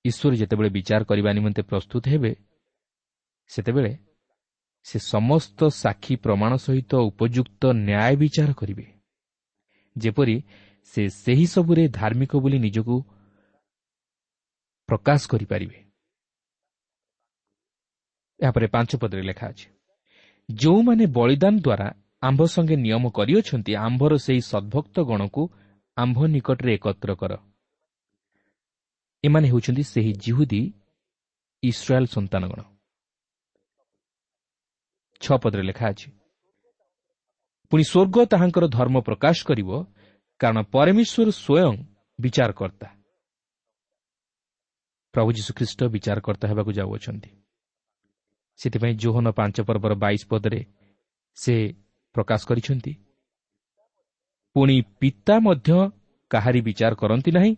ଈଶ୍ୱର ଯେତେବେଳେ ବିଚାର କରିବା ନିମନ୍ତେ ପ୍ରସ୍ତୁତ ହେବେ, ସେତେବେଳେ ସେ ସମସ୍ତ ସାକ୍ଷୀ ପ୍ରମାଣ ସହିତ ଉପଯୁକ୍ତ ନ୍ୟାୟ ବିଚାର କରିବେ, ଯେପରି ସେ ସେହି ସବୁରେ ଧାର୍ମିକ ବୋଲି ନିଜକୁ ପ୍ରକାଶ କରିପାରିବେ। ଏହାପରେ ପାଞ୍ଚ ପଦରେ ଲେଖା ଅଛି, ଯେଉଁମାନେ ବଳିଦାନ ଦ୍ୱାରା ଆମ୍ଭ ସଙ୍ଗେ ନିୟମ କରିଅଛନ୍ତି, ଆମ୍ଭର ସେହି ସଦ୍ଭକ୍ତ ଗଣକୁ ଆମ୍ଭ ନିକଟରେ ଏକତ୍ର କର। ଏମାନେ ହେଉଛନ୍ତି ସେହି ଯିହୁଦୀ ଇସ୍ରାଏଲ ସନ୍ତାନଗଣ। ଛଅ ପଦରେ ଲେଖା ଅଛି, ପୁଣି ସ୍ୱର୍ଗ ତାହାଙ୍କର ଧର୍ମ ପ୍ରକାଶ କରିବ, କାରଣ ପରମେଶ୍ୱର ସ୍ୱୟଂ ବିଚାରକର୍ତ୍ତା। ପ୍ରଭୁ ଯୀଶୁଖ୍ରୀଷ୍ଟ ବିଚାରକର୍ତ୍ତା ହେବାକୁ ଯାଉଅଛନ୍ତି। ସେଥିପାଇଁ ଯୋହନ ପାଞ୍ଚ ପର୍ବର ବାଇଶ ପଦରେ ସେ ପ୍ରକାଶ କରିଛନ୍ତି, ପୁଣି ପିତା ମଧ୍ୟ କାହାରି ବିଚାର କରନ୍ତି ନାହିଁ,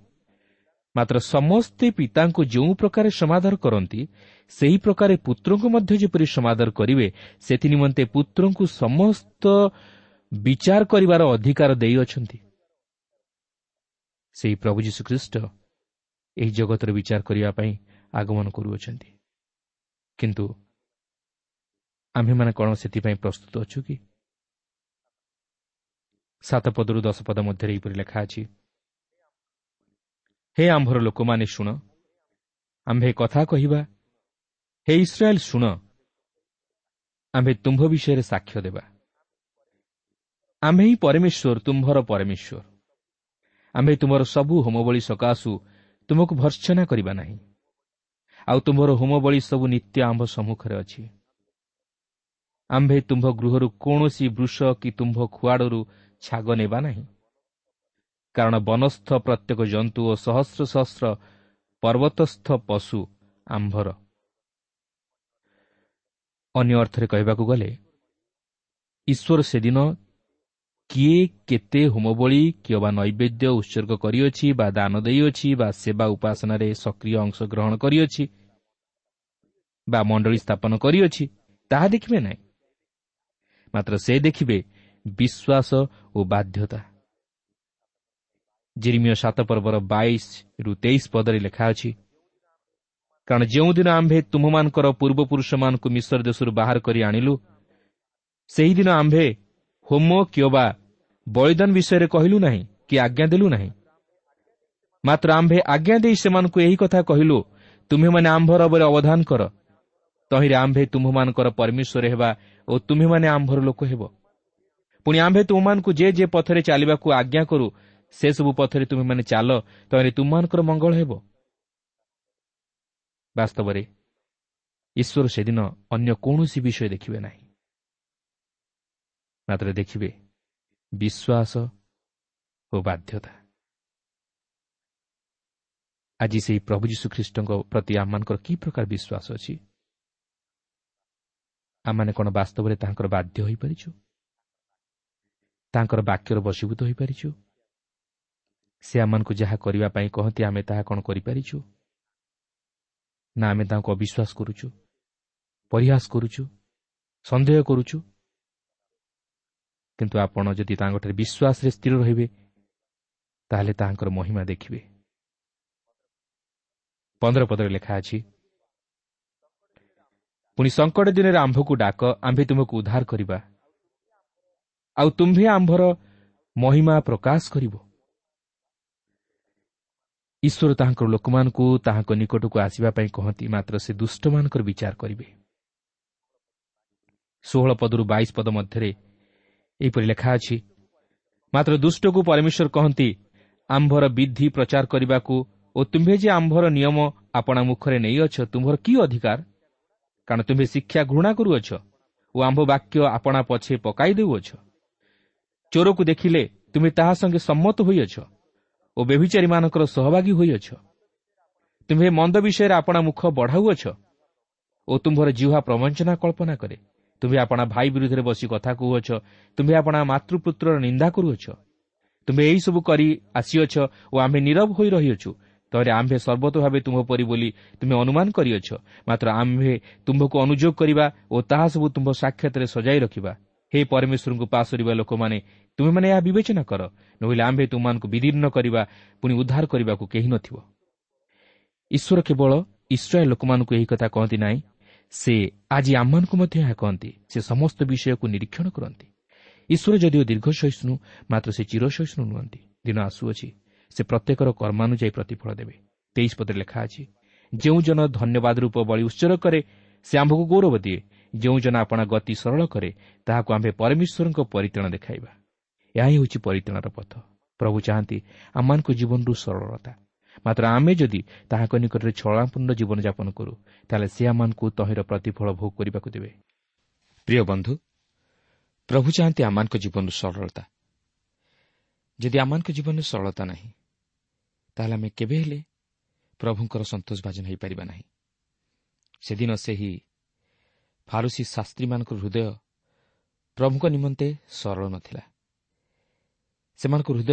ମାତ୍ର ସମସ୍ତେ ପିତାଙ୍କୁ ଯେଉଁ ପ୍ରକାରେ ସମାଦର କରନ୍ତି, ସେହି ପ୍ରକାରେ ପୁତ୍ରଙ୍କୁ ମଧ୍ୟ ଯେପରି ସମାଦର କରିବେ, ସେଥିନିମନ୍ତେ ପୁତ୍ରଙ୍କୁ ସମସ୍ତ ବିଚାର କରିବାର ଅଧିକାର ଦେଇଅଛନ୍ତି। ସେହି ପ୍ରଭୁ ଯୀଶୁଖ୍ରୀଷ୍ଟ ଏହି ଜଗତର ବିଚାର କରିବା ପାଇଁ ଆଗମନ କରୁଅଛନ୍ତି। କିନ୍ତୁ ଆମ୍ଭେମାନେ କ'ଣ ସେଥିପାଇଁ ପ୍ରସ୍ତୁତ ଅଛୁ କି? ସାତ ପଦରୁ ଦଶ ପଦ ମଧ୍ୟରେ ଏହିପରି ଲେଖା ଅଛି, ହେ ଆମ୍ଭର ଲୋକମାନେ ଶୁଣ, ଆମ୍ଭେ କଥା କହିବା, ହେ ଇସ୍ରାଏଲ ଶୁଣ, ଆମ୍ଭେ ତୁମ୍ଭ ବିଷୟରେ ସାକ୍ଷ୍ୟ ଦେବା। ଆମ୍ଭେ ହିଁ ପରମେଶ୍ୱର, ତୁମ୍ଭର ପରମେଶ୍ୱର। ଆମ୍ଭେ ତୁମର ସବୁ ହୋମବଳି ସକାଶୁ ତୁମକୁ ଭର୍ତ୍ସନା କରିବା ନାହିଁ, ଆଉ ତୁମ୍ଭର ହୋମବଳି ସବୁ ନିତ୍ୟ ଆମ୍ଭ ସମ୍ମୁଖରେ ଅଛି। ଆମ୍ଭେ ତୁମ୍ଭ ଗୃହରୁ କୌଣସି ବୃଷ କି ତୁମ୍ଭ ଖୁଆଡ଼ରୁ ଛାଗ ନେବା ନାହିଁ, କାରଣ ବନସ୍ଥ ପ୍ରତ୍ୟେକ ଜନ୍ତୁ ଓ ସହସ୍ର ସହସ୍ର ପର୍ବତସ୍ଥ ପଶୁ ଆମ୍ଭର। ଅନ୍ୟ ଅର୍ଥରେ କହିବାକୁ ଗଲେ, ଈଶ୍ୱର ସେଦିନ କିଏ କେତେ ହୋମବଳି କିମ୍ବା ନୈବେଦ୍ୟ ଉତ୍ସର୍ଗ କରିଅଛି ବା ଦାନ ଦେଇଅଛି ବା ସେବା ଉପାସନାରେ ସକ୍ରିୟ ଅଂଶଗ୍ରହଣ କରିଅଛି ବା ମଣ୍ଡଳୀ ସ୍ଥାପନ କରିଅଛି, ତାହା ଦେଖିବେ ନାହିଁ। ମାତ୍ର ସେ ଦେଖିବେ ବିଶ୍ୱାସ ଓ ବାଧ୍ୟତା। ଜିରିମିୟ ସାତ ପର୍ବର ବାଇଶରୁ ତେଇଶ ପଦରେ ଲେଖା ଅଛି, କାରଣ ଯେଉଁଦିନ ଆମ୍ଭେ ତୁମ୍ଭମାନଙ୍କର ପୂର୍ବପୁରୁଷମାନଙ୍କୁ ମିଶର ଦେଶରୁ ବାହାର କରି ଆଣିଲୁ, ସେହିଦିନ ଆମ୍ଭେ ହୋମ କିମ୍ବା ବଳିଦାନ ବିଷୟରେ କହିଲୁ ନାହିଁ କି ଆଜ୍ଞା ଦେଲୁ ନାହିଁ। ମାତ୍ର ଆମ୍ଭେ ଆଜ୍ଞା ଦେଇ ସେମାନଙ୍କୁ ଏହି କଥା କହିଲୁ, ତୁମ୍ଭେମାନେ ଆମ୍ଭର ଉପରେ ଅବଧାନ କର, ତହିଁରେ ଆମ୍ଭେ ତୁମ୍ଭମାନଙ୍କର ପରମେଶ୍ୱର ହେବା ଓ ତୁମ୍ଭେମାନେ ଆମ୍ଭର ଲୋକ ହେବ। ପୁଣି ଆମ୍ଭେ ତୁମମାନଙ୍କୁ ଯେ ଯେ ପଥରେ ଚାଲିବାକୁ ଆଜ୍ଞା କରୁ, ସେସବୁ ପଥରେ ତୁମେମାନେ ଚାଲ, ତହିଁରେ ତୁମମାନଙ୍କର ମଙ୍ଗଳ ହେବ। ବାସ୍ତବରେ ଈଶ୍ୱର ସେଦିନ ଅନ୍ୟ କୌଣସି ବିଷୟ ଦେଖିବେ ନାହିଁ, ମାତ୍ର ଦେଖିବେ ବିଶ୍ୱାସ ଓ ବାଧ୍ୟତା। ଆଜି ସେହି ପ୍ରଭୁ ଯୀଶୁଖ୍ରୀଷ୍ଟଙ୍କ ପ୍ରତି ଆମମାନଙ୍କର କି ପ୍ରକାର ବିଶ୍ୱାସ ଅଛି? ଆମମାନେ କ'ଣ ବାସ୍ତବରେ ତାଙ୍କର ବାଧ୍ୟ ହୋଇପାରିଛୁ? ତାଙ୍କର ବାକ୍ୟର ବଶୀଭୂତ ହୋଇପାରିଛୁ? ସେ ଆମମାନଙ୍କୁ ଯାହା କରିବା ପାଇଁ କହନ୍ତି ଆମେ ତାହା କ'ଣ କରିପାରିଛୁ? ନା ଆମେ ତାଙ୍କୁ ଅବିଶ୍ୱାସ କରୁଛୁ, ପରିହାସ କରୁଛୁ, ସନ୍ଦେହ କରୁଛୁ? କିନ୍ତୁ ଆପଣ ଯଦି ତାଙ୍କଠାରେ ବିଶ୍ୱାସରେ ସ୍ଥିର ରହିବେ, ତାହେଲେ ତାହାଙ୍କର ମହିମା ଦେଖିବେ। ପନ୍ଦର ପଦରେ ଲେଖା ଅଛି, ପୁଣି ସଙ୍କଟ ଦିନରେ ଆମ୍ଭକୁ ଡାକ, ଆମ୍ଭେ ତୁମକୁ ଉଦ୍ଧାର କରିବା, ଆଉ ତୁମ୍ଭେ ଆମ୍ଭର ମହିମା ପ୍ରକାଶ କରିବ। ଈଶ୍ୱର ତାହାଙ୍କର ଲୋକମାନଙ୍କୁ ତାହାଙ୍କ ନିକଟକୁ ଆସିବା ପାଇଁ କହନ୍ତି, ମାତ୍ର ସେ ଦୁଷ୍ଟମାନଙ୍କର ବିଚାର କରିବେ। ଷୋହଳ ପଦରୁ ବାଇଶ ପଦ ମଧ୍ୟରେ ଏହିପରି ଲେଖା ଅଛି, ମାତ୍ର ଦୁଷ୍ଟକୁ ପରମେଶ୍ୱର କହନ୍ତି, ଆମ୍ଭର ବିଧି ପ୍ରଚାର କରିବାକୁ ଓ ତୁମ୍ଭେ ଯେ ଆମ୍ଭର ନିୟମ ଆପଣା ମୁଖରେ ନେଇଅଛ, ତୁମ୍ଭର କି ଅଧିକାର? କାରଣ ତୁମ୍ଭେ ଶିକ୍ଷା ଘୃଣା କରୁଅଛ ଓ ଆମ୍ଭ ବାକ୍ୟ ଆପଣା ପଛେ ପକାଇ ଦେଉଅଛ। ଚୋରକୁ ଦେଖିଲେ ତୁମେ ତାହା ସଙ୍ଗେ ସମ୍ମତ ହୋଇଅଛ ଓ ବ୍ୟଭିଚାରୀମାନଙ୍କର ସହଭାଗୀ ହୋଇଅଛ। ତୁମ୍ଭେ ମନ୍ଦ ବିଷୟରେ ଆପଣା ମୁଖ ବଢ଼ାଉଅଛ ଓ ତୁମ୍ଭର ଜିହ୍ୱା ପ୍ରବଞ୍ଚନା କଳ୍ପନା କରେ। ତୁମ୍ଭେ ଆପଣା ଭାଇ ବିରୁଦ୍ଧରେ ବସି କଥା କହୁଅଛ, ତୁମ୍ଭେ ଆପଣା ମାତୃପୁତ୍ରର ନିନ୍ଦା କରୁଅଛ। ତୁମ୍ଭେ ଏହିସବୁ କରି ଆସିଅଛ ଓ ଆମ୍ଭେ ନୀରବ ହୋଇ ରହିଅଛୁ। ତହିଁରେ ଆମ୍ଭେ ସର୍ବତ ଭାବେ ତୁମ୍ଭ ପରି ବୋଲି ତୁମେ ଅନୁମାନ କରିଅଛ, ମାତ୍ର ଆମ୍ଭେ ତୁମ୍ଭକୁ ଅନୁଯୋଗ କରିବା ଓ ତାହା ସବୁ ତୁମ୍ଭ ସାକ୍ଷାତରେ ସଜାଇ ରଖିବା। ହେ ପରମେଶ୍ୱରଙ୍କୁ ପାସୋରିବା ଲୋକମାନେ, ତୁମେମାନେ ଏହା ବିବେଚନା କର, ନୋହିଲେ ଆମ୍ଭେ ତୁମମାନଙ୍କୁ ବିଦୀର୍ଣ୍ଣ କରିବା, ପୁଣି ଉଦ୍ଧାର କରିବାକୁ କେହି ନଥିବ। ଈଶ୍ୱର କେବଳ ଇସ୍ରାଏଲ ଲୋକମାନଙ୍କୁ ଏହି କଥା କହନ୍ତି ନାହିଁ, ସେ ଆଜି ଆମମାନଙ୍କୁ ମଧ୍ୟ ଏହା କହନ୍ତି। ସେ ସମସ୍ତ ବିଷୟକୁ ନିରୀକ୍ଷଣ କରନ୍ତି। ଈଶ୍ୱର ଯଦିଓ ଦୀର୍ଘ ସହିଷ୍ଣୁ, ମାତ୍ର ସେ ଚିରସହିଷ୍ଣୁ ନୁହନ୍ତି। ଦିନ ଆସୁଅଛି, ସେ ପ୍ରତ୍ୟେକର କର୍ମାନୁଯାୟୀ ପ୍ରତିଫଳ ଦେବେ। ତେଇଶ ପଦରେ ଲେଖା ଅଛି, ଯେଉଁ ଜନ ଧନ୍ୟବାଦ ରୂପ ବଳି ଉତ୍ସର୍ଗ କରେ, ସେ ଆମ୍ଭକୁ ଗୌରବ ଦିଏ। ଯେଉଁ ଜନ ଆପଣା ଗତି ସରଳ କରେ, ତାହାକୁ ଆମ୍ଭେ ପରମେଶ୍ୱରଙ୍କ ପରିତ୍ରାଣ ଦେଖାଇବା। ଏହା ହିଁ ହେଉଛି ପରିତ୍ରାଣର ପଥ। ପ୍ରଭୁ ଚାହାନ୍ତି ଆମମାନଙ୍କ ଜୀବନରୁ ସରଳତା, ମାତ୍ର ଆମେ ଯଦି ତାହାଙ୍କ ନିକଟରେ ଛଳନାପୂର୍ଣ୍ଣ ଜୀବନଯାପନ କରୁ, ତାହେଲେ ସେ ଆମମାନଙ୍କୁ ତହିଁର ପ୍ରତିଫଳ ଭୋଗ କରିବାକୁ ଦେବେ। ପ୍ରିୟ ବନ୍ଧୁ, ପ୍ରଭୁ ଚାହାନ୍ତି ଆମମାନଙ୍କ ଜୀବନରୁ ସରଳତା। ଯଦି ଆମମାନଙ୍କ ଜୀବନରେ ସରଳତା ନାହିଁ, ତାହେଲେ ଆମେ କେବେ ହେଲେ ପ୍ରଭୁଙ୍କର ସନ୍ତୋଷଭାଜନ ହୋଇପାରିବା ନାହିଁ। ସେଦିନ ସେହି ଫାରୁସୀ ଶାସ୍ତ୍ରୀମାନଙ୍କ ହୃଦୟ ପ୍ରଭୁଙ୍କ ନିମନ୍ତେ ସରଳ ନଥିଲା। ସେମାନଙ୍କ ହୃଦୟ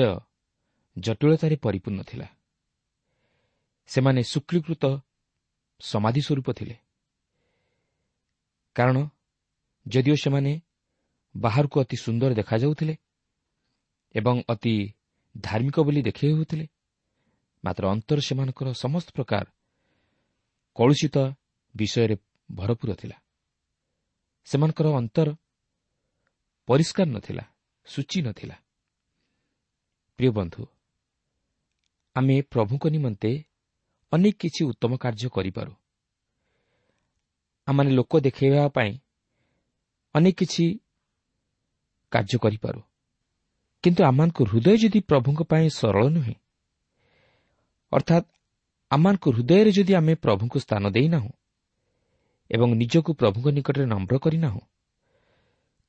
ଜଟିଳତାରେ ପରିପୂର୍ଣ୍ଣ ଥିଲା। ସେମାନେ ଶୁକ୍ଳୀକୃତ ସମାଧି ସ୍ୱରୂପ ଥିଲେ। କାରଣ ଯଦିଓ ସେମାନେ ବାହାରକୁ ଅତି ସୁନ୍ଦର ଦେଖାଯାଉଥିଲେ ଏବଂ ଅତି ଧାର୍ମିକ ବୋଲି ଦେଖାଇ ହେଉଥିଲେ, ମାତ୍ର ଅନ୍ତର ସେମାନଙ୍କର ସମସ୍ତ ପ୍ରକାର କଳୁଷିତ ବିଷୟରେ ଭରପୁର ଥିଲା। ସେମାନଙ୍କର ଅନ୍ତର ପରିଷ୍କାର ନଥିଲା, ସୂଚି ନଥିଲା। ପ୍ରିୟ ବନ୍ଧୁ, ଆମେ ପ୍ରଭୁଙ୍କ ନିମନ୍ତେ ଅନେକ କିଛି ଉତ୍ତମ କାର୍ଯ୍ୟ କରିପାରୁ। ଆମମାନେ ଲୋକ ଦେଖାଇବା ପାଇଁ ଅନେକ କିଛି କାର୍ଯ୍ୟ କରିପାରୁ, କିନ୍ତୁ ଆମମାନଙ୍କ ହୃଦୟ ଯଦି ପ୍ରଭୁଙ୍କ ପାଇଁ ସରଳ ନୁହେଁ, ଅର୍ଥାତ୍ ଆମମାନଙ୍କ ହୃଦୟରେ ଯଦି ଆମେ ପ୍ରଭୁଙ୍କୁ ସ୍ଥାନ ଦେଇନାହୁଁ ଏବଂ ନିଜକୁ ପ୍ରଭୁଙ୍କ ନିକଟରେ ନମ୍ର କରିନାହୁଁ,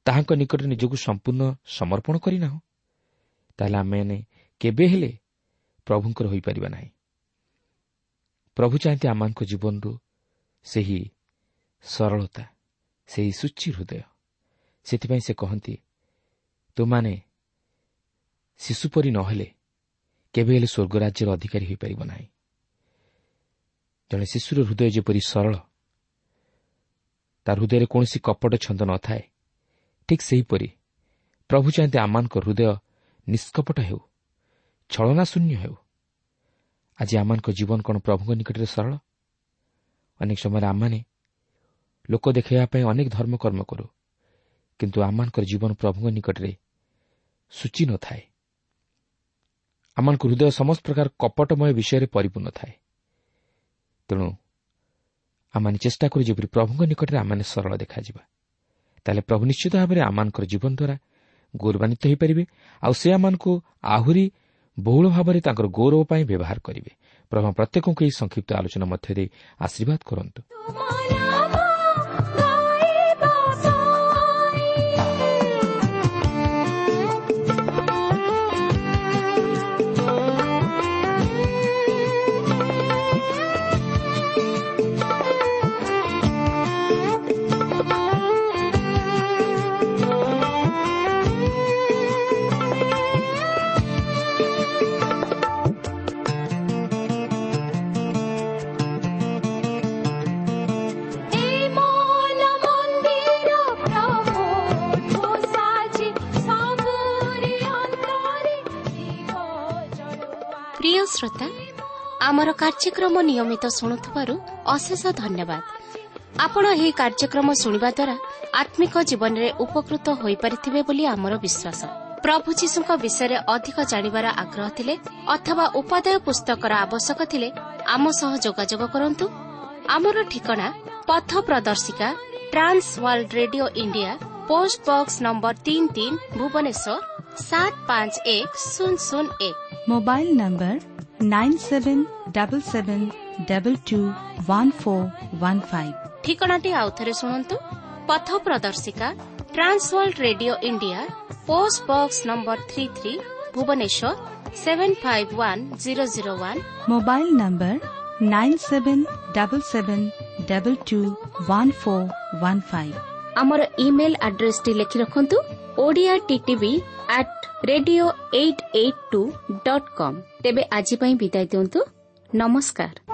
ତାହାଙ୍କ ନିକଟରେ ନିଜକୁ ସମ୍ପୂର୍ଣ୍ଣ ସମର୍ପଣ କରିନାହୁଁ, ତାହେଲେ ଆମେମାନେ କେବେ ହେଲେ ପ୍ରଭୁଙ୍କର ହୋଇପାରିବା ନାହିଁ। ପ୍ରଭୁ ଚାହାନ୍ତି ଆମମାନଙ୍କ ଜୀବନରୁ ସେହି ସରଳତା, ସେହି ସୂଚି ହୃଦୟ। ସେଥିପାଇଁ ସେ କହନ୍ତି, ତୁମାନେ ଶିଶୁ ପରି ନହେଲେ କେବେ ହେଲେ ସ୍ୱର୍ଗ ରାଜ୍ୟର ଅଧିକାରୀ ହୋଇପାରିବ ନାହିଁ। ଜଣେ ଶିଶୁର ହୃଦୟ ଯେପରି ସରଳ, ତା ହୃଦୟରେ କୌଣସି କପଟ ଛନ୍ଦ ନଥାଏ, ଠିକ୍ ସେହିପରି ପ୍ରଭୁ ଚାହାନ୍ତି ଆମମାନଙ୍କ ହୃଦୟ ନିଷ୍କପଟ ହେଉ, ଛଳନା ଶୂନ୍ୟ ହେଉ। ଆଜି ଆମମାନଙ୍କ ଜୀବନ କ'ଣ ପ୍ରଭୁଙ୍କ ନିକଟରେ ସରଳ? ଅନେକ ସମୟରେ ଆମମାନେ ଲୋକ ଦେଖାଇବା ପାଇଁ ଅନେକ ଧର୍ମକର୍ମ କରୁ, କିନ୍ତୁ ଆମମାନଙ୍କର ଜୀବନ ପ୍ରଭୁଙ୍କ ନିକଟରେ ସୂଚି ନଥାଏ। ଆମମାନଙ୍କ ହୃଦୟ ସମସ୍ତ ପ୍ରକାର କପଟମୟ ବିଷୟରେ ପରିପୂର୍ଣ୍ଣ ଥାଏ। ତେଣୁ ଆମମାନେ ଚେଷ୍ଟା କରୁ ଯେପରି ପ୍ରଭୁଙ୍କ ନିକଟରେ ଆମମାନେ ସରଳ ଦେଖାଯିବା। ତାହେଲେ ପ୍ରଭୁ ନିଶ୍ଚିତ ଭାବରେ ଆମମାନଙ୍କର ଜୀବନ ଦ୍ୱାରା ଗୌରବାନ୍ୱିତ ହୋଇପାରିବେ, ଆଉ ସେ ଆମମାନଙ୍କୁ ଆହୁରି ବହୁଳ ଭାବରେ ତାଙ୍କର ଗୌରବ ପାଇଁ ବ୍ୟବହାର କରିବେ। ପ୍ରଭୁ ପ୍ରତ୍ୟେକଙ୍କୁ ଏହି ସଂକ୍ଷିପ୍ତ ଆଲୋଚନା ମଧ୍ୟରେ ଆଶୀର୍ବାଦ କରନ୍ତୁ। ପ୍ରିୟ ଶ୍ରୋତା, ଆମର କାର୍ଯ୍ୟକ୍ରମ ନିୟମିତ ଶୁଣୁଥିବାରୁ ଅଶେଷ ଧନ୍ୟବାଦ। ଆପଣ ଏହି କାର୍ଯ୍ୟକ୍ରମ ଶୁଣିବା ଦ୍ୱାରା ଆତ୍ମିକ ଜୀବନରେ ଉପକୃତ ହୋଇପାରିଥିବେ ବୋଲି ଆମର ବିଶ୍ୱାସ। ପ୍ରଭୁ ଯୀଶୁଙ୍କ ବିଷୟରେ ଅଧିକ ଜାଣିବାର ଆଗ୍ରହ ଥିଲେ ଅଥବା ଉପାଦେୟ ପୁସ୍ତକର ଆବଶ୍ୟକ ଥିଲେ ଆମ ସହ ଯୋଗାଯୋଗ କରନ୍ତୁ। ଆମର ଠିକଣା ପଥ ପ୍ରଦର୍ଶିକା, Trans World Radio India, post box number ତିନି ତିନି, ଭୁବନେଶ୍ୱର ସାତ ପାଞ୍ଚ ଏକ ଶୂନ ଶୂନ ଏକ। Mobile number nine seven double seven double two one four one five. ଠିକଣାଟି ଆଉଥରେ ଶୁଣନ୍ତୁ। ପଥ ପ୍ରଦର୍ଶିକା, Trans World Radio India, post box number three three, Bhubaneswar seven five one zero zero one. Mobile number nine seven double seven double two one four one five. ଆମର email ଆଡ୍ରେସଟି ଲେଖି ରଖନ୍ତୁ, Odia TTV at radio eight eight two dot com. ତେବେ ଆଜି ପାଇଁ ବିଦାୟ ଦିଅନ୍ତୁ। ନମସ୍କାର।